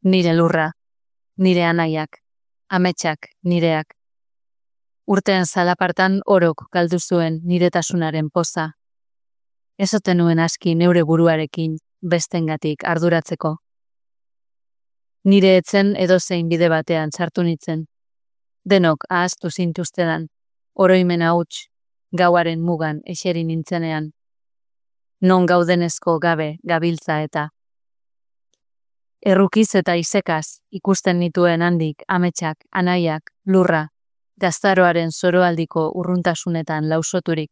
nire lurra, nire anaiak, ametsak nireak. Urteen zalapartan orok galdu zuen niretasunaren poza. Ez ote nuen aski neure buruarekin bestengatik arduratzeko. Nire etzen edozein bide batean sartu nitzen. Denok ahaztu zintuztedan, oroimena huts, gauaren mugan eseri nintzenean. Non gaudenezko gabe gabiltza eta. Errukiz eta isekaz ikusten nituen handik ametsak, anaiak, lurra, gaztaroaren zoroaldiko urruntasunetan lausoturik.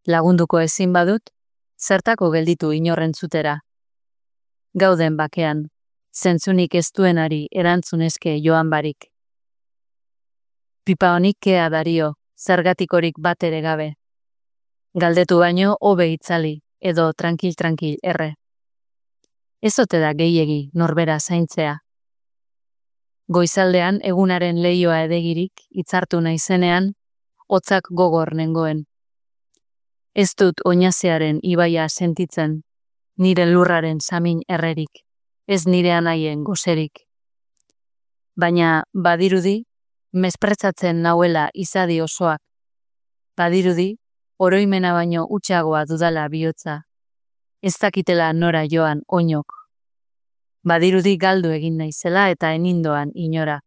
Lagunduko ezin badut, zertako gelditu inorrentzutera. Gauden bakean, zentzunik ez duenari erantzunezke joan barik. Pipa honik kea dario, zergatikorik bat ere gabe. Galdetu baino hobe itzali, edo tranquil erre. Ez ote da gehiegi norbera zaintzea. Goizaldean egunaren leioa edegirik hitzartu naizenean, hotzak gogor nengoen. Ez dut oinazearen ibaia sentitzen, nire lurraren samin errerik, ez nire anaien goserik. Baina badirudi, mespretzatzen nauela izadi osoak. Badirudi, oroimena baino hutsagoa dudala bihotza. Ez dakitela nora joan oinok. Badirudi galdu egin naizela eta enindoan inora.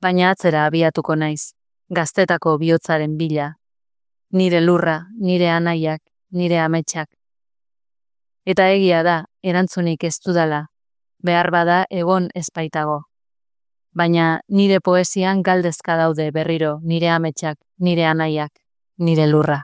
Baina atzera abiatuko naiz, gaztetako bihotzaren bila. Nire lurra, nire anaiak, nire ametsak. Eta egia da, erantzunik ez dudala, behar bada egon ezpaitago. Baina nire poesian galdezka daude berriro nire ametsak, nire anaiak, nire lurra.